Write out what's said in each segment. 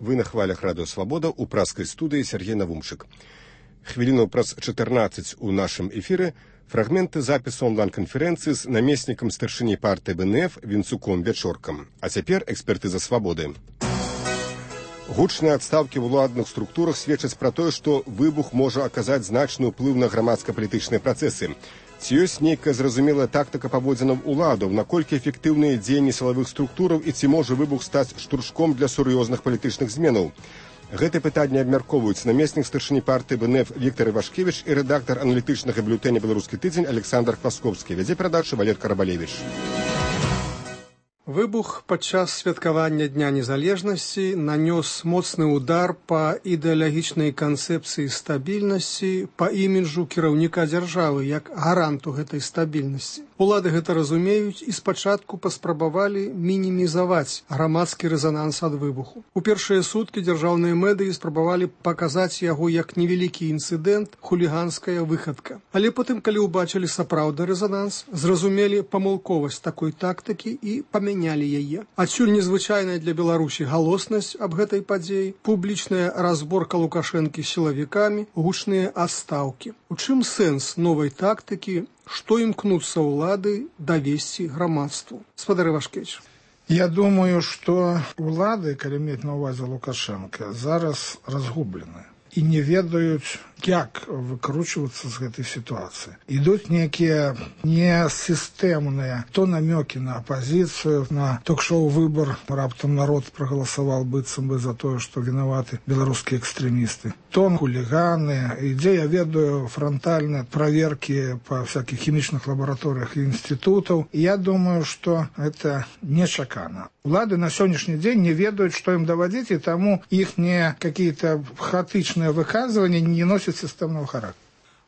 Вы на хвалях радыё Свабода ў праскай студыі Сергей Навумчык. Хвіліну праз 14 у нашым эфіры фрагменты запісу онлайн-канферэнцыі з намеснікам старшыні партыі БНФ Вінцуком Вячоркам. А цяпер экспертыза Свабоды. Гучныя адстаўкі ў уладных структурах сведчаць пра тое, што выбух можа аказаць значны ўплыў на грамадска-палітычныя працэсы. Ці ёсць нейкая зразумелая тактыка паводзінаў уладаў, наколькі эфектыўныя дзеянні сілавых структураў і ці можа выбух стаць штуршком для сур'ёзных палітычных зменаў? Гэтае пытанне абмяркоўваюць намеснік старшыні партыі БНФ Віктор Івашкевіч і рэдактар аналітычнага бюлетэня «Беларускі тыдзень» Александр Хвасковскі. Вядзе перадачу Валер Карабалевіч. Выбух падчас святкавання Дня незалежнасці нанёс моцны удар па ідэалагічнай канцэпцыі стабільнасці, па іміджу кіраўніка дзяржавы як гаранту гэтай стабільнасці. Улады гэта разумеюць і спачатку паспрабавалі мінімізаваць грамадскі рэзананс ад выбуху. У першыя суткі дзяржаўныя медыі спрабавалі паказаць яго як невялікі інцыдэнт, хуліганская выхадка. Але потым, калі ўбачылі сапраўдны рэзананс, зразумелі памылковасць такой тактыкі і памянялі яе. Адсюль незвычайная для Беларусі галоснасць аб гэтай падзеі, публічная разборка Лукашэнкі з сілавікамі, гучныя адстаўкі. У чым сэнс новай тактыкі? Што імкнуцца ўлады давесці грамадству? Спадар Івашкевіч. Я думаю, што ўлады, калі мець на ўвазе Лукашенка, зараз разгублены і не ведаюць, як выкручвацца з гэтай сітуацыі. Ідуць нейкія несістэмныя то намёкі на апазіцыю, на ток-шоу «Выбар», раптам народ прагаласаваў быццам бы за тое, што вінаваты беларускія экстрэмісты. То хуліганы, ідзе, я ведаю, франтальныя праверкі па всякіх хімічных лабараторыях і інстытутаў. І я думаю, што гэта нечакана. Улады на сённяшні дзень не ведаюць, што ім давадзіць, і таму іхнія какие-то хаотычныя выказванні не носяць сістэмного характера.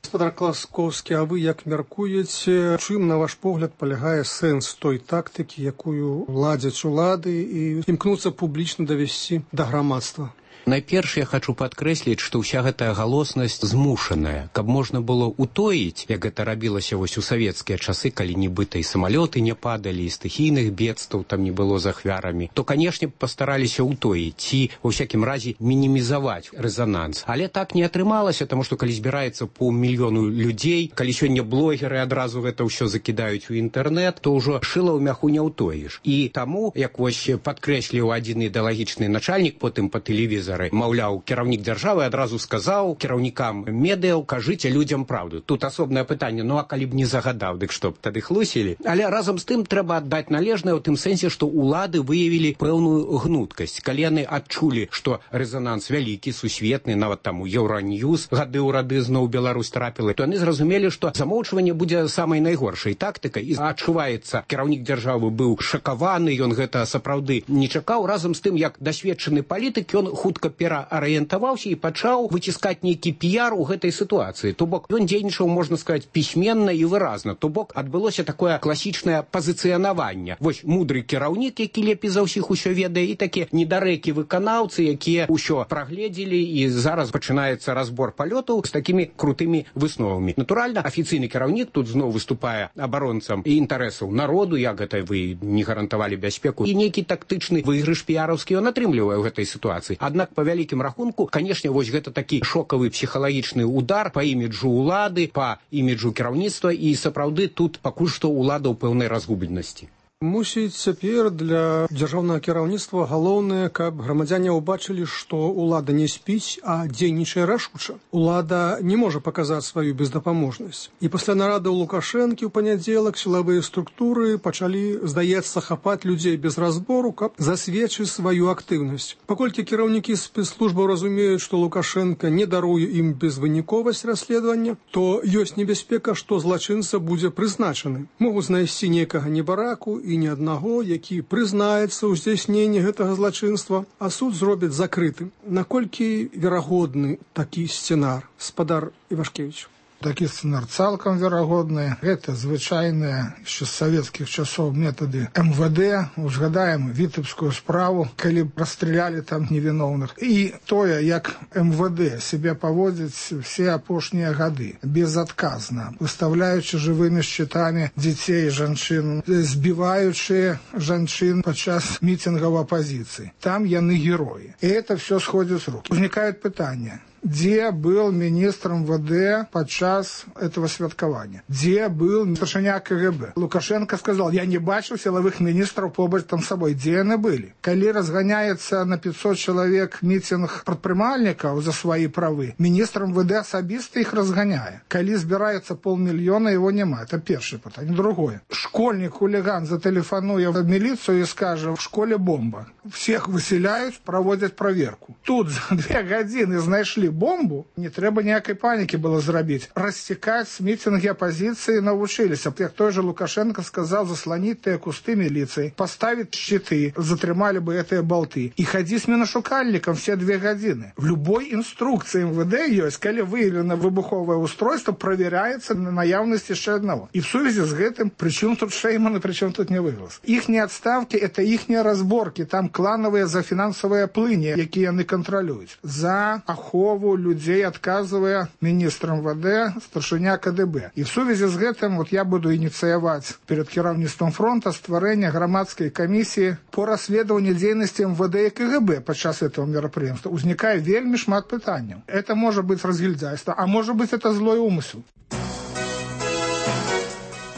Спадар Хвасковскі, а вы як мяркуеце, чым, на ваш погляд, палягае сэнс той тактыкі, якую ладзяць улады і імкнуцца публічна давесці да грамадства? Найперш я хочу падкрэсліць, што ўся гэтая галоснасць змушаная, каб можна было утоіць, як гэта рабілася вось у савецкія часы, калі нібыта і самалёты не падалі, і стыхійных бедстваў там не было з ахвярамі, то, канешне, пастараліся утоіць ці, ва ўсякім разе, мінімізаваць рэзананс. Але так не атрымалася, таму што калі збіраецца паўмільёну людзей, калі сёння блогеры адразу гэта ўсё закідаюць у інтэрнэт, то ўжо шыла ў мяху не ўтоіш. І таму, як вось падкрэсліў адзін ідэалагічны начальнік потым па тэлевізору, маўляў, кіраўнік дзяржавы адразу сказаў кіраўнікам медыяў, кажыце людзям праўду. Тут асобнае пытанне, ну а калі б не загадаў, дык што б тады хлусілі? Але разам з тым трэба аддаць належнае ў тым сэнсе, што ўлады выявілі пэўную гнуткасць. Калі яны адчулі, што рэзананс вялікі, сусветны, нават там у Еўраньюз гады ў рады зноў Беларусь трапіла, то яны зразумелі, што замоўчванне будзе самай найгоршай тактыкай. І адчуваецца, кіраўнік дзяржавы быў шакаваны, ён гэта сапраўды не чакаў. Разам з тым, як дасведчаны палітык, ён хутка пераарыентаваўся і пачаў выціскаць нейкі піяр у гэтай сітуацыі. То бок ён дзейнічаў, можна сказаць, пісьменна і выразна. То бок адбылося такое класічнае пазіцыянаванне. Вось мудры кіраўнік, які лепей за ўсіх усё ведае, і такія недарэкі выканаўцы, якія ўсё прагледзелі, і зараз пачынаецца разбор палётаў з такімі крутымі высновамі. Натуральна, афіцыйны кіраўнік тут зноў выступае абаронцам і інтарэсаў народу, як гэта вы не гарантавалі бяспеку, і нейкі тактычны выйгрыш піяраўскі ён атрымлівае ў гэтай сітуацыі. Аднак па вялікім рахунку, канешне, вось гэта такі шокавы псіхалагічны удар па іміджу ўлады, па іміджу кіраўніцтва, і сапраўды тут пакуль што ўлада ў пэўнай разгубленасці. Мусіць, цяпер для дзяржаўнага кіраўніцтва галоўнае, каб грамадзяне ўбачылі, што ўлада не спіць, а дзейнічае рашуча. Улада не можа паказаць сваю бездапаможнасць. І пасля нарады ў Лукашэнкі ў панядзелак сілавыя структуры пачалі, здаецца, хапаць людзей без разбору, каб засведчыць сваю актыўнасць. Паколькі кіраўнікі спецслужбаў разумеюць, што Лукашенка не даруе ім безвыніковасць расследавання, то ёсць небяспека, што злачынца будзе прызначаны. Могуць знайсці нейкага небараку і ні аднаго, які прызнаецца ў здзяйсненні гэтага злачынства, а суд зробіць закрытым. Наколькі верагодны такі сцэнар, спадар Івашкевіч? Такі сцэнар цалкам верагодны. Гэта звычайныя яшчэ з савецкіх часоў метады МВД. Узгадаем вітебскую справу, калі расстралялі там невіновных. І тое, як МВД себе паводзіць все апошнія гады, безадказна, выставляючы жывымі шчытамі дзяцей і жанчын, збіваючы жанчын падчас мітынгаў апазіцыі. Там яны героі. І это все сходит с рук. Возникает питание. Где был министр МВД подчас этого святкования? Где был старшиня КГБ? Лукашенко сказал, я не бачил силовых министров побач там с собой. Где они были? Коли разгоняется на 500 человек митинг предпринимальников за свои правы, министр МВД особисто их разгоняет. Коли собирается 500 000, его нема. Это первое питание. Другое. Школьник-хулиган зателефонует в милицию и скажет, в школе бомба. Всех выселяют, проводят проверку. Тут за 2 годины знайшли бомбу, не трэба ніякай панікі было зрабіць. Расцікаць мітинги апозіцыі навучыліся. Як той же Лукашенко сказал, заслонить тыя кусты милиции, поставить щиты, затрымали бы этыя болты. И ходить с миношукальником все 2 годины. В любой инструкции МВД есть, калі выявлено выбуховое устройство, проверяется на наявность еще одного. И в связи с гэтым, причем тут Шейман и причем тут не вывез. Ихние отставки, это ихние разборки, там клановые за финансовые плыни, якія яны контролюють. За ахову людей, отказывая министр МВД, старшиня КДБ. И в связи с гэтым вот я буду инициировать перед кіраўніцтвом фронта стварэння громадской комиссии по расследованию деятельности МВД и КГБ подчас этого мероприятия. Узникает вельми шмат пытаний. Это может быть разгильдяйство, а может быть это злой умысел.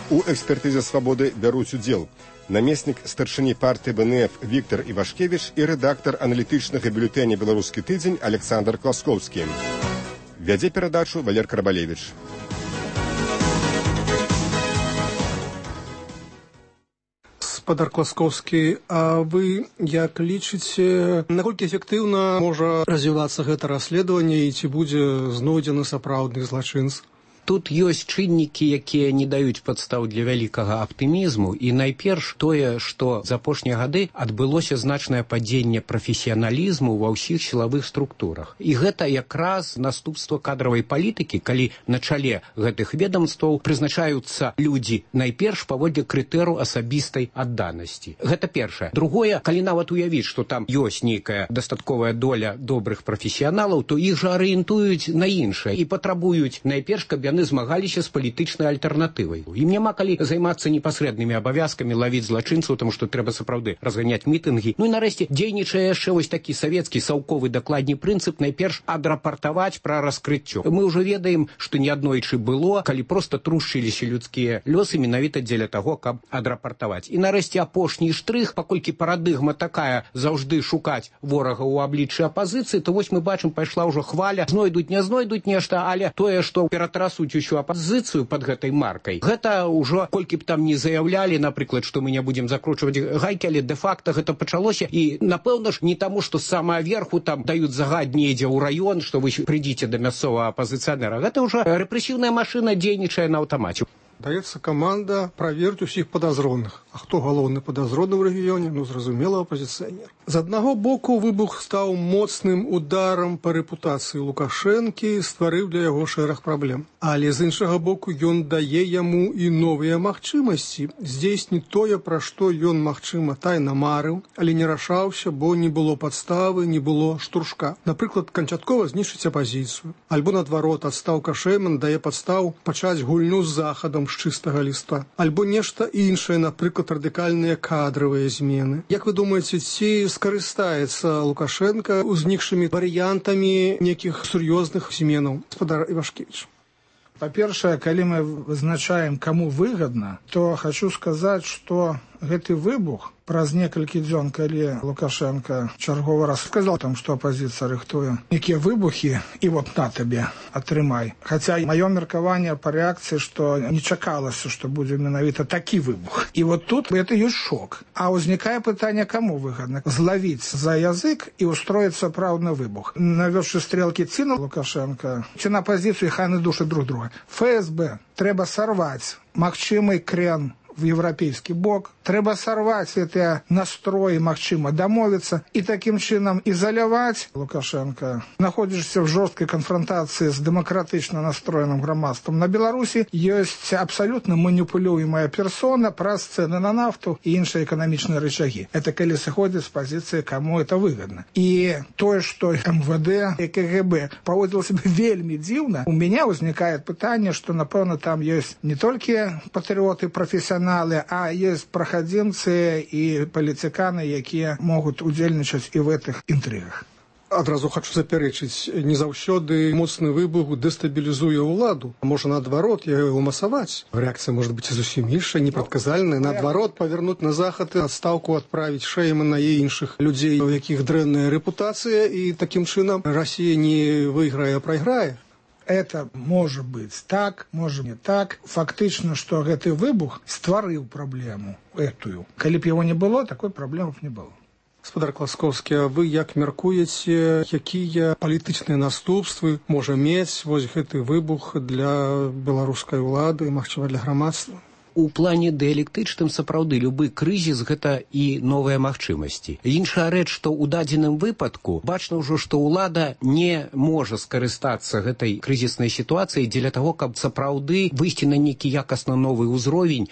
У экспертызе «Свабоды» бяруць удзел намеснік старшыні партыі БНФ Віктор Івашкевіч і рэдактар аналітычнага бюлетэня «Беларускі тыдзень» Александр Класкоўскі. Вядзе перадачу Валер Карабалевіч. Спадар Класкоўскі, а вы як лічыце, наколькі эфектыўна можа развівацца гэта расследаванне і ці будзе знойдзены сапраўдны злачынц? Тут ёсць чыннікі, якія не даюць падстаў для вялікага аптымізму, і найперш тое, што за апошнія гады адбылося значнае падзенне прафесіяналізму ва ўсіх сілавых структурах. І гэта якраз наступства кадравай палітыкі, калі на чале гэтых ведомстваў прызначаюцца людзі найперш паводле крытэру асабістай адданасці. Гэта першае. Другое, калі нават уявіць, што там ёсць нейкая дастатковая доля добрых прафесіяналаў, то іх жа арыентуюць на іншае і патрабуюць найперш, каб яны змагаліся з палітычнай альтэрнатывай. Ім няма калі займацца непасрэднымі абавязкамі, лавіць злачынцаў, таму што трэба сапраўды разганяць мітынгі. Ну і нарэшце дзейнічае яшчэ вось такі савецкі саўковы дакладні прынцып найперш адрапартаваць пра раскрыццё. Мы ўжо ведаем, што неаднойчы было, калі проста трушчыліся людскія лёсы менавіта дзеля таго, каб адрапартаваць. І нарэшце апошні штрых, паколькі парадыгма такая заўжды шукаць ворага ў абліччы апазіцыі, то вось мы бачым, пайшла ўжо хваля, знойдуць, не знойдуць нешта, але тое, што ператрасуць усю апазіцыю под гэтай маркай. Гэта ўжо, колькі б там не заяўлялі, напрыклад, што мы не будзем закручваць гайкі, але дэ-факта гэта пачалося. І, напэўна ж, не таму, што з самага верху там даюць загад недзе ў раён, што вы прыйдзіце да мясцовага апазіцыянера. Гэта ўжо рэпрэсіўная машына дзейнічае на аўтамаце. Даецца каманда праверыць усіх падазроных. А хто галоўны падазроны ў рэгіёне? Ну, зразумела, апазіцыянер. З аднаго боку, выбух стаў моцным ударам па рэпутацыі Лукашэнкі, стварыў для яго шэраг праблем. Але з іншага боку, ён дае яму і новыя магчымасці здзейсніць тое, пра што ён, магчыма, тайна марыў, але не рашаўся, бо не было падставы, не было штуршка. Напрыклад, канчаткова знішчыць апазіцыю. Альбо, наадварот, адстаўка Шейман дае падстаў пачаць гульню з захадам з чыстага ліста. Альбо нешта іншае, напрыклад, радыкальныя кадравыя змены. Як вы думаеце, ці скарыстаецца Лукашенко узнікшымі варыянтамі нейкіх сур'ёзных зменаў? Спадар Івашкевіч. По-першае, калі мы вызначаем, каму выгадна, то хочу сказаць, што гэты выбух праз некалькі дзён, калі Лукашенко чарговы раз сказал там, што апозіцыя рыхтуе некія выбухі, і вот на табе, атрымай. Хаця маё меркаванне па рэакцыі, што не чакалася, што будзе менавіта такі выбух. І вот тут это ёсць шок. А ўзнікае пытанне, каму выгадна? Злавіць за язык і устроіць сапраўдны выбух. Навёўшы стрелкі ці на Лукашенко, ці на апозіцыю, хай яны душаць друг друга. ФСБ трэба сарваць магчымы крен в европейский бок, трэба сорвать эти настрои, магчыма домовиться и таким чином изолировать Лукашенко. Находишься в жесткой конфронтации с демократично настроенным громадством. На Беларуси есть абсолютно манипулюемая персона праз цены на нафту и іншыя экономичные рычаги. Это коли сходит с позиции, кому это выгодно. И то, что МВД и КГБ поводило себя вельми дивно, у меня возникает питание, что, напевно, там есть не только патриоты, профессионалы, а есть проходимцы и политиканы, якія могут удзельнічаць и в этих интригах. Адразу хочу запярэчыць, не заўсёды моцны выбух дэстабілізуе ўладу. Можа, наадварот, яго масаваць. Реакция может быть зусім іншая, непрадказальная. Наадварот, павернуць на захад і адстаўку адправіць Шэймана і іншых людзей, у якіх дрэнная рэпутацыя, і такім чынам Россия не выйграе, а прайграе. Это может быть так, может не так. Фактично, что гэты выбух стварыў праблему этую. Калі б его не было, такой праблемы б не было. Гаспадар Класкоўскі, а вы як мяркуеце, якія палітычныя наступствы можа мець вось гэты выбух для беларускай улады, магчыма, для грамадства? У плане дыялектычным сапраўды любы крызіс гэта і новыя магчымасці. Іншая рэч, што ў дадзеным выпадку бачна ўжо, што ўлада не можа скарыстацца гэтай крызіснай сітуацыяй дзеля таго, каб сапраўды выйсці на нейкі якасна новы ўзровень,